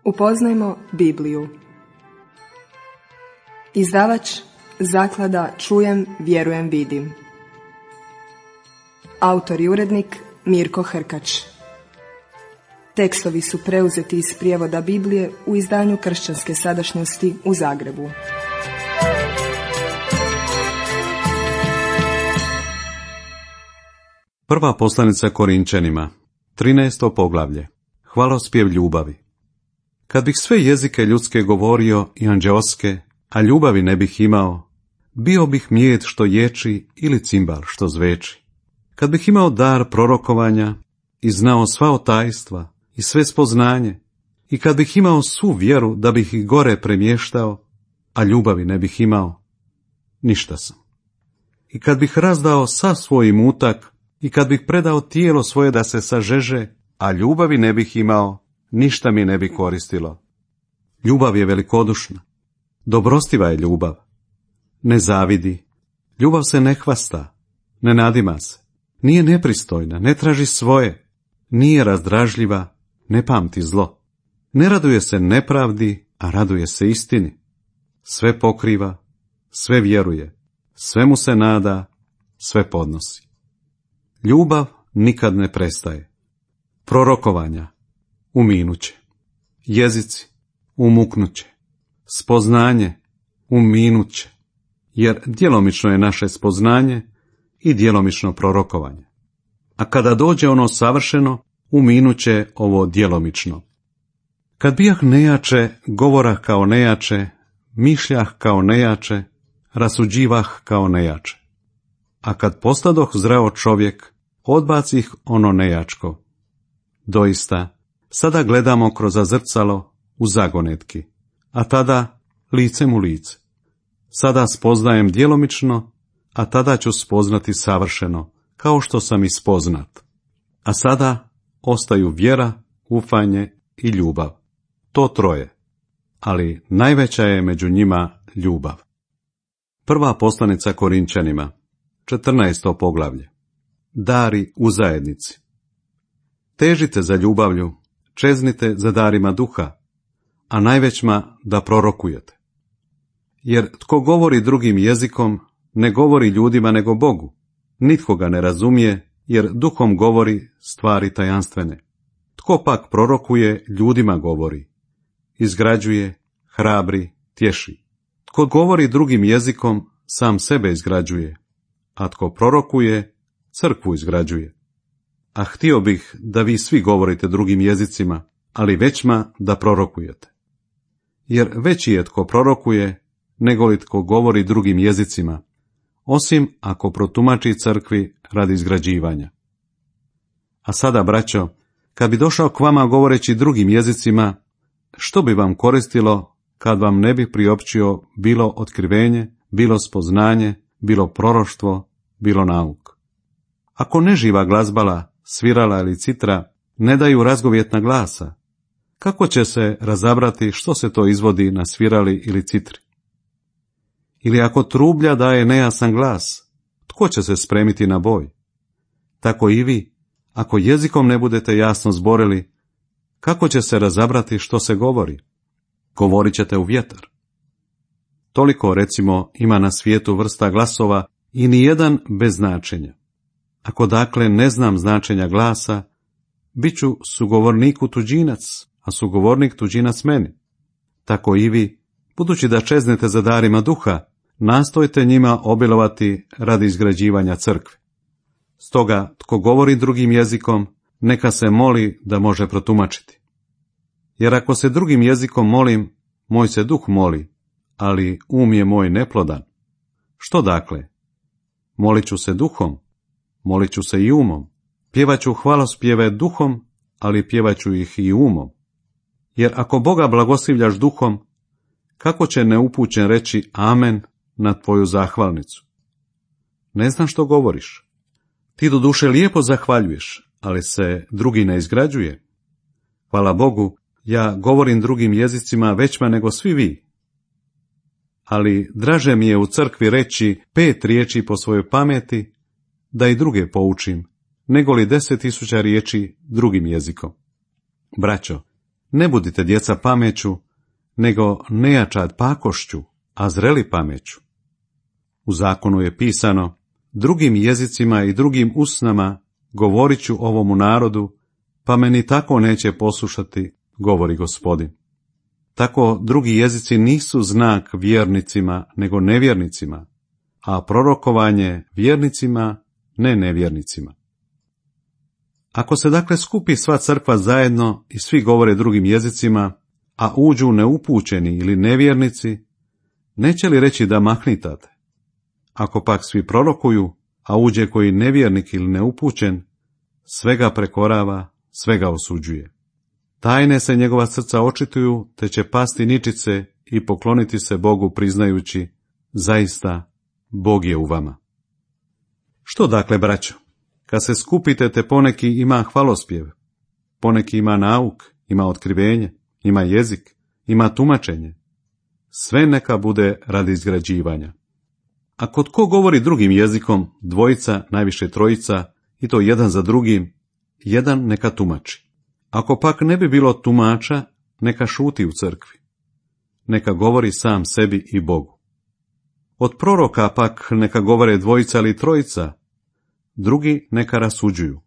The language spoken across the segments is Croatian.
Upoznajmo Bibliju. Izdavač Zaklada Čujem, vjerujem, vidim. Autor i urednik Mirko Hrkač. Tekstovi su preuzeti iz prijevoda Biblije u izdanju Kršćanske sadašnjosti u Zagrebu. Prva poslanica Korinčanima, 13. poglavlje. Hvalospjev ljubavi. Kad bih sve jezike ljudske govorio i anđeoske, a ljubavi ne bih imao, bio bih mjed što ječi ili cimbal što zveči. Kad bih imao dar prorokovanja i znao sva otajstva i sve spoznanje, i kad bih imao svu vjeru da bih ih gore premještao, a ljubavi ne bih imao, ništa sam. I kad bih razdao sav svoj imutak, i kad bih predao tijelo svoje da se sažeže, a ljubavi ne bih imao, ništa mi ne bi koristilo. Ljubav je velikodušna, dobrostiva je ljubav. Ne zavidi, ljubav se ne hvasta, ne nadima se, nije nepristojna, ne traži svoje, nije razdražljiva, ne pamti zlo. Ne raduje se nepravdi, a raduje se istini. Sve pokriva, sve vjeruje, svemu se nada, sve podnosi. Ljubav nikad ne prestaje. Prorokovanja uminuće, jezici umuknuće, spoznanje uminuće, jer djelomično je naše spoznanje i djelomično prorokovanje. A kada dođe ono savršeno, uminuće ovo djelomično. Kad bijah nejače, govorah kao nejače, mišljah kao nejače, rasuđivah kao nejače. A kad postadoh zreo čovjek, odbacih ono nejačko. Doista, sada gledamo kroz zrcalo u zagonetki, a tada licem u lice. Sada spoznajem djelomično, a tada ću spoznati savršeno, kao što sam i spoznat. A sada ostaju vjera, ufanje i ljubav. To troje, ali najveća je među njima ljubav. Prva poslanica Korinčanima, 14. poglavlje. Dari u zajednici. Težite za ljubavlju, čeznite za darima duha, a najvećma da prorokujete. Jer tko govori drugim jezikom, ne govori ljudima nego Bogu. Nitko ga ne razumije, jer duhom govori stvari tajanstvene. Tko pak prorokuje, ljudima govori. Izgrađuje, hrabri, tješi. Tko govori drugim jezikom, sam sebe izgrađuje, a tko prorokuje, crkvu izgrađuje. A htio bih da vi svi govorite drugim jezicima, ali većma da prorokujete. Jer veći je tko prorokuje, nego li tko govori drugim jezicima, osim ako protumači crkvi radi izgrađivanja. A sada, braćo, kad bi došao k vama govoreći drugim jezicima, što bi vam koristilo kad vam ne bi priopćio bilo otkrivenje, bilo spoznanje, bilo proroštvo, bilo nauk? Ako neživa glazbala, svirala ili citra ne daju razgovjetna glasa, kako će se razabrati što se to izvodi na svirali ili citri? Ili ako trublja daje nejasan glas, tko će se spremiti na boj? Tako i vi, ako jezikom ne budete jasno zborili, kako će se razabrati što se govori? Govorit ćete u vjetar. Toliko, recimo, ima na svijetu vrsta glasova i nijedan bez značenja. Ako dakle ne znam značenja glasa, bit ću sugovorniku tuđinac, a sugovornik tuđinac meni. Tako i vi, budući da čeznete za darima duha, nastojte njima obilovati radi izgrađivanja crkve. Stoga, tko govori drugim jezikom, neka se moli da može protumačiti. Jer ako se drugim jezikom molim, moj se duh moli, ali je moj neplodan. Što dakle? Molit ću se duhom, molit ću se i umom. Pjevaću hvalospjeve duhom, ali pjevaću ih i umom. Jer ako Boga blagoslivljaš duhom, kako će neupućen reći amen na tvoju zahvalnicu? Ne znam što govoriš. Ti do duše lijepo zahvaljuješ, ali se drugi ne izgrađuje. Hvala Bogu, ja govorim drugim jezicima većma nego svi vi. Ali draže mi je u crkvi reći 5 riječi po svojoj pameti, da i druge poučim, nego li 10.000 riječi drugim jezikom. Braćo, Ne budite djeca pameću, nego nejačad pakošću, a zreli pameću. U zakonu je pisano, drugim jezicima i drugim usnama govorit ću ovomu narodu, pa me ni tako neće poslušati, govori Gospodin. Tako drugi jezici nisu znak vjernicima, nego nevjernicima, a prorokovanje vjernicima, ne nevjernicima. Ako se dakle skupi sva crkva zajedno i svi govore drugim jezicima, a uđu neupućeni ili nevjernici, neće li reći da mahnitate? Ako pak svi prorokuju, a uđe koji nevjernik ili neupućen, svega prekorava, svega osuđuje. Tajne se njegova srca očituju, te će pasti ničice i pokloniti se Bogu priznajući, zaista, Bog je u vama. Što dakle, braćo? Kad se skupite, te poneki ima hvalospjev, poneki ima nauk, ima otkrivenje, ima jezik, ima tumačenje. Sve neka bude radi izgrađivanja. Ako tko govori drugim jezikom, dvojica, najviše trojica, i to jedan za drugim, jedan neka tumači. Ako pak ne bi bilo tumača, neka šuti u crkvi. Neka govori sam sebi i Bogu. Od proroka pak neka govore dvojica ili trojica, drugi neka rasuđuju.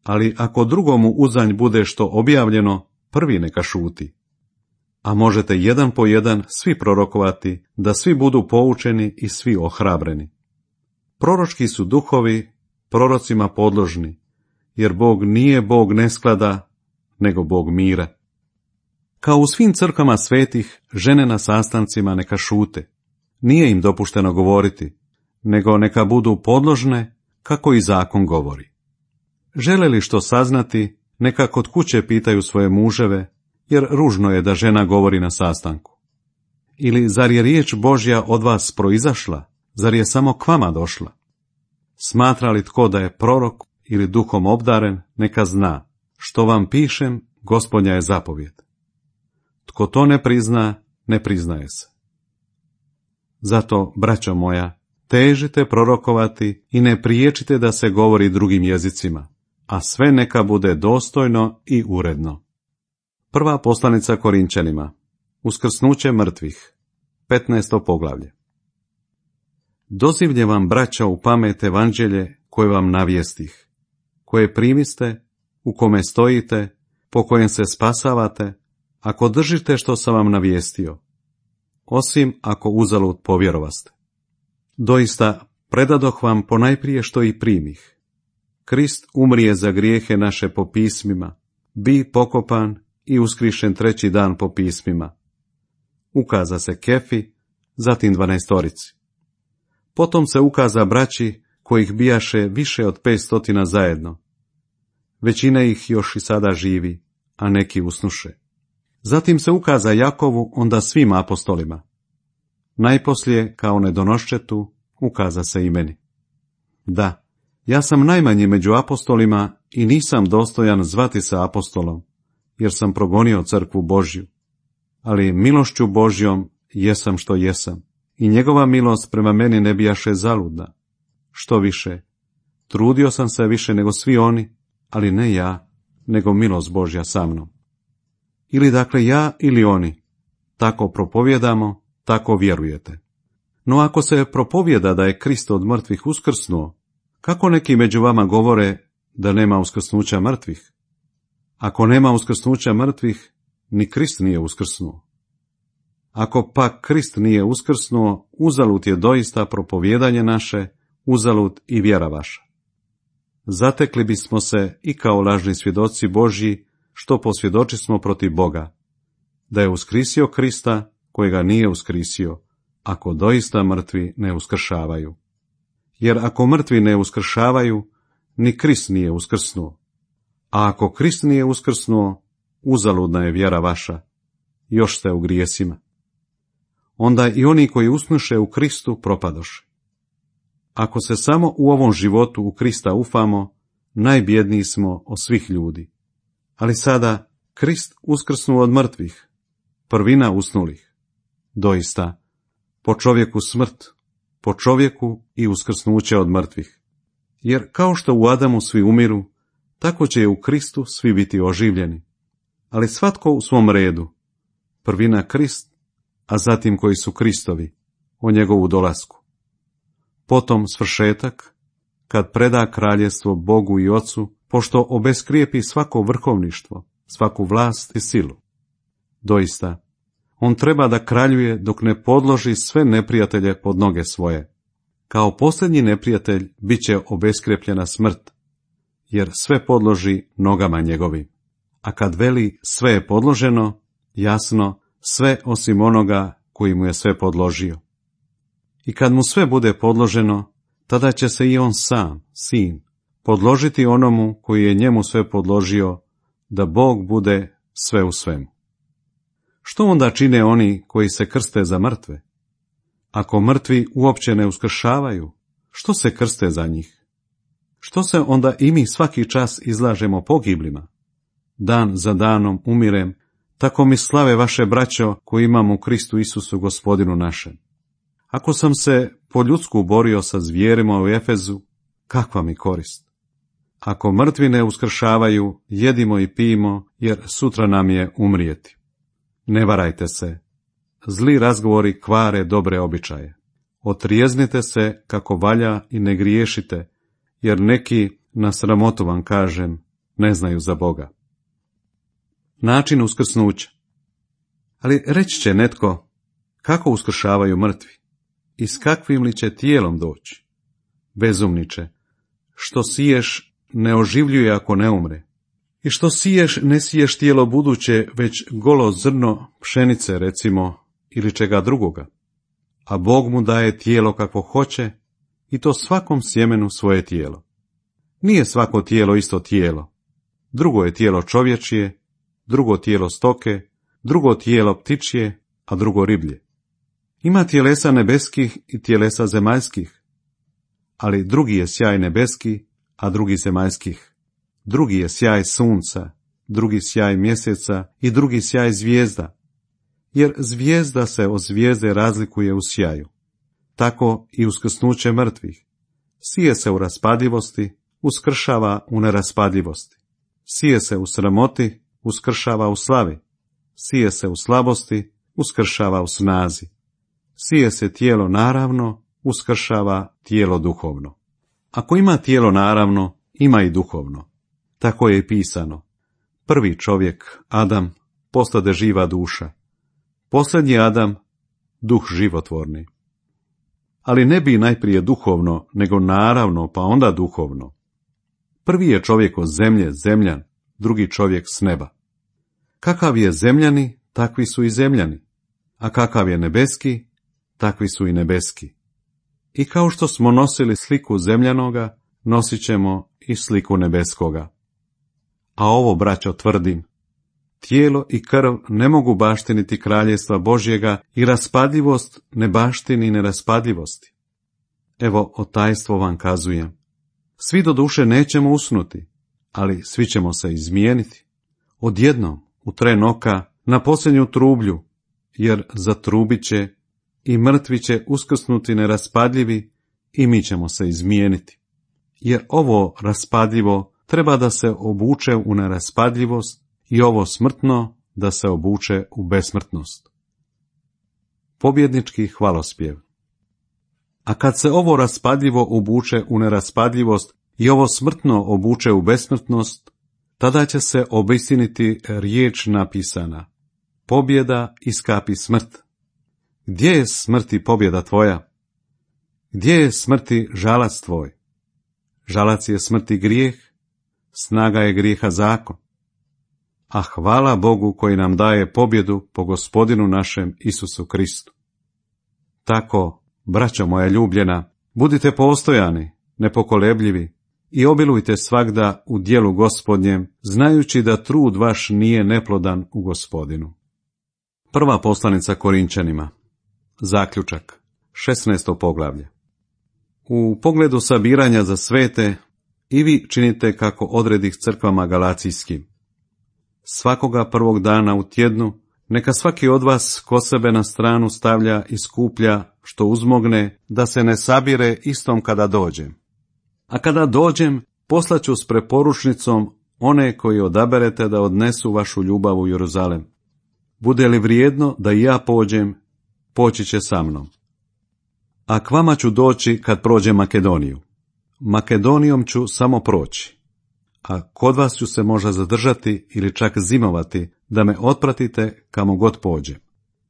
Ali ako drugomu uzanj bude što objavljeno, prvi neka šuti. A možete jedan po jedan svi prorokovati, da svi budu poučeni i svi ohrabreni. Proročki su duhovi prorocima podložni, jer Bog nije Bog nesklada, nego Bog mira. Kao u svim crkvama svetih, žene na sastancima neka šute. Nije im dopušteno govoriti, nego neka budu podložne, kako i zakon govori. Žele li što saznati, neka kod kuće pitaju svoje muževe, jer ružno je da žena govori na sastanku. Ili zar je riječ Božja od vas proizašla, zar je samo k vama došla? Smatra li tko da je prorok ili duhom obdaren, neka zna, što vam pišem, Gospodnja je zapovjed. Tko to ne prizna, ne priznaje se. Zato, braćo moja, težite prorokovati i ne priječite da se govori drugim jezicima, a sve neka bude dostojno i uredno. Prva poslanica Korinčanima, uskrsnuće mrtvih, 15. poglavlje. Dozivlje vam, braća, u pamet evanđelje koje vam navijestih, koje primiste, u kome stojite, po kojem se spasavate, ako držite što sam vam navijestio, osim ako uzalud povjerovaste. Doista, predadoh vam ponajprije što i primih. Krist umrije za grijehe naše po pismima, bi pokopan i uskrišen treći dan po pismima. Ukaza se Kefi, zatim 12. Potom se ukaza braći, kojih bijaše više od 500 zajedno. Većina ih još i sada živi, a neki usnuše. Zatim se ukaza Jakovu, onda svim apostolima. Najposlije, kao nedonoščetu, ukaza se i meni. Da, ja sam najmanji među apostolima i nisam dostojan zvati se apostolom, jer sam progonio crkvu Božju. Ali milošću Božjom jesam što jesam, i njegova milost prema meni ne bijaše zaludna. Što više, trudio sam se više nego svi oni, ali ne ja, nego milost Božja sa mnom. Ili dakle ja ili oni, tako propovjedamo, tako vjerujete. No ako se propovjeda da je Krist od mrtvih uskrsnuo, kako neki među vama govore da nema uskrsnuća mrtvih? Ako nema uskrsnuća mrtvih, ni Krist nije uskrsnuo. Ako pak Krist nije uskrsnuo, uzalud je doista propovjedanje naše, uzalud i vjera vaša. Zatekli bismo se i kao lažni svjedoci Božji, što posvjedočismo protiv Boga, da je uskrisio Krista, kojega nije uskrisio, ako doista mrtvi ne uskršavaju. Jer ako mrtvi ne uskršavaju, ni Krist nije uskrsnuo. A ako Krist nije uskrsnuo, uzaludna je vjera vaša, još ste u grijesima. Onda i oni koji usnuše u Kristu propadoše. Ako se samo u ovom životu u Krista ufamo, najbjedniji smo od svih ljudi. Ali sada Krist uskrsnuo od mrtvih, prvina usnulih. Doista, po čovjeku smrt, po čovjeku i uskrsnuće od mrtvih. Jer kao što u Adamu svi umiru, tako će u Kristu svi biti oživljeni. ali svatko u svom redu. Prvina Krist, a zatim koji su Kristovi, o njegovu dolasku. Potom svršetak, kad preda kraljevstvo Bogu i Ocu, pošto obeskrijepi svako vrhovništvo, svaku vlast i silu. Doista, on treba da kraljuje dok ne podloži sve neprijatelje pod noge svoje. Kao posljednji neprijatelj bit će obeskrepljena smrt, jer sve podloži nogama njegovim. A kad veli sve je podloženo, jasno, sve osim onoga koji mu je sve podložio. I kad mu sve bude podloženo, tada će se i on sam, sin, podložiti onomu koji je njemu sve podložio, da Bog bude sve u svemu. Što onda čine oni koji se krste za mrtve? Ako mrtvi uopće ne uskršavaju, što se krste za njih? Što se onda i mi svaki čas izlažemo pogiblima? Dan za danom umirem, tako mi slave vaše braćo koji imamo u Kristu Isusu Gospodinu našem. Ako sam se po ljudsku borio sa zvijerima u Efezu, kakva mi korist? Ako mrtvi ne uskršavaju, jedimo i pijemo, jer sutra nam je umrijeti. Ne varajte se. Zli razgovori kvare dobre običaje. Otrijeznite se kako valja i ne griješite, jer neki, na sramotu vam kažem, ne znaju za Boga. Način uskrsnuća. Ali reći će netko, kako uskršavaju mrtvi? I s kakvim li će tijelom doći? Bezumniče, što siješ ne oživljuje ako ne umre. I što siješ ne siješ tijelo buduće, već golo zrno pšenice, recimo, ili čega drugoga. A Bog mu daje tijelo kakvo hoće, i to svakom sjemenu svoje tijelo. Nije svako tijelo isto tijelo. Drugo je tijelo čovječije, drugo tijelo stoke, drugo tijelo ptičje, a drugo riblje. Ima tjelesa nebeskih i tjelesa zemaljskih, ali drugi je sjaj nebeski, a drugi zemaljskih. Drugi je sjaj sunca, drugi sjaj mjeseca i drugi sjaj zvijezda, jer zvijezda se od zvijezde razlikuje u sjaju. Tako i uskrsnuće mrtvih. Sije se u raspadljivosti, uskršava u neraspadljivosti. Sije se u sramoti, uskršava u slavi. Sije se u slabosti, uskršava u snazi. Sije se tijelo naravno, uskršava tijelo duhovno. Ako ima tijelo naravno, ima i duhovno. Tako je i pisano. Prvi čovjek, Adam, postade živa duša. Posljednji Adam, duh životvorni. Ali ne bi najprije duhovno, nego naravno, pa onda duhovno. Prvi je čovjek od zemlje, zemljan, drugi čovjek s neba. Kakav je zemljani, takvi su i zemljani, a kakav je nebeski, takvi su i nebeski. I kao što smo nosili sliku zemljanoga, nosit ćemo i sliku nebeskoga. A ovo, braćo, tvrdim, tijelo i krv ne mogu baštiniti kraljevstva Božjega i raspadljivost ne baštini neraspadljivosti. Evo, o tajstvo vam kazujem. Svi do duše nećemo usnuti, ali svi ćemo se izmijeniti. Odjednom, u tren oka, na posljednju trublju, jer zatrubit će i mrtvi će uskrsnuti neraspadljivi i mi ćemo se izmijeniti. Jer ovo raspadljivo treba da se obuče u neraspadljivost i ovo smrtno da se obuče u besmrtnost. Pobjednički hvalospjev. A kad se ovo raspadljivo obuče u neraspadljivost i ovo smrtno obuče u besmrtnost, tada će se obistiniti riječ napisana. Pobjeda iskapi smrt. Gdje je smrti pobjeda tvoja? Gdje je smrti žalac tvoj? Žalac je smrti grijeh, snaga je grijeha zakon. A hvala Bogu koji nam daje pobjedu po Gospodinu našem Isusu Kristu. Tako, braćo moja ljubljena, budite postojani, nepokolebljivi i obilujte svagda u djelu Gospodnjem, znajući da trud vaš nije neplodan u Gospodinu. Prva poslanica Korinčanima. Zaključak. 16. poglavlje. U pogledu sabiranja za svete, i vi činite kako odredih crkvama galacijskim. Svakoga prvog dana u tjednu, neka svaki od vas ko sebe na stranu stavlja i skuplja što uzmogne, da se ne sabire istom kada dođem. A kada dođem, poslaću s preporučnicom one koji odaberete da odnesu vašu ljubav u Jeruzalem. Bude li vrijedno da i ja pođem, poći će sa mnom. A k vama ću doći kad prođem Makedoniju. Makedonijom ću samo proći. A kod vas ću se možda zadržati ili čak zimovati, da me otpratite kamo god pođem.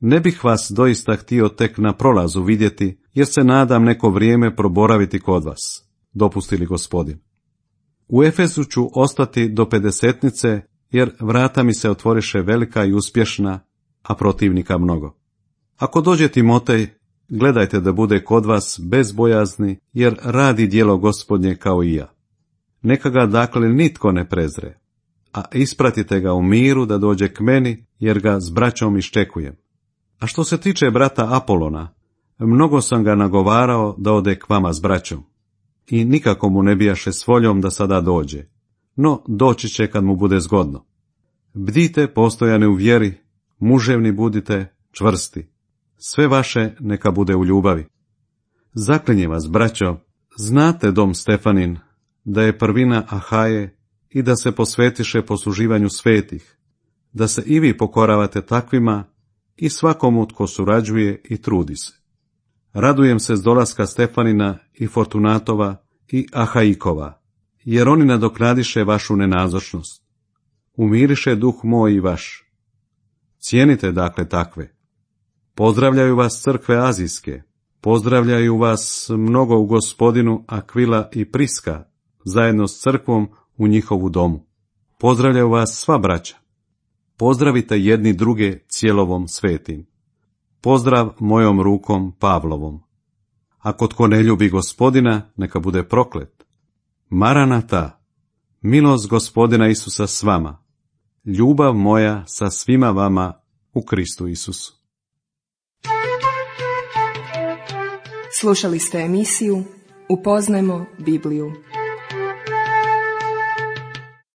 Ne bih vas doista htio tek na prolazu vidjeti, jer se nadam neko vrijeme proboraviti kod vas, dopusti li Gospodin. U Efesu ću ostati do 50-nice, jer vrata mi se otvoriše velika i uspješna, a protivnika mnogo. Ako dođe Timotej, gledajte da bude kod vas bez bojazni, jer radi djelo Gospodnje kao i ja. Neka ga dakle nitko ne prezre, a ispratite ga u miru da dođe k meni, jer ga s braćom iščekujem. A što se tiče brata Apolona, mnogo sam ga nagovarao da ode k vama s braćom. I nikako mu ne bijaše s voljom da sada dođe, no doći će kad mu bude zgodno. Bdite postojani u vjeri, muževni budite, čvrsti. Sve vaše neka bude u ljubavi. Zaklinjem vas, braćo, znate dom Stefanin, da je prvina Ahaje i da se posvetiše posluživanju svetih, da se i vi pokoravate takvima i svakomu tko surađuje i trudi se. Radujem se s dolaska Stefanina i Fortunatova i Ahaikova, jer oni nadoknadiše vašu nenazočnost. Umiriše duh moj i vaš. Cijenite dakle takve. Pozdravljaju vas crkve azijske, pozdravljaju vas mnogo u Gospodinu Akvila i Priska, zajedno s crkvom u njihovu domu. Pozdravljaju vas sva braća. Pozdravite jedni druge cijelovom svetim. Pozdrav mojom rukom Pavlovom. Ako tko ne ljubi Gospodina, neka bude proklet. Maranata, milost Gospodina Isusa s vama. Ljubav moja sa svima vama u Kristu Isusu. Slušali ste emisiju Upoznajmo Bibliju.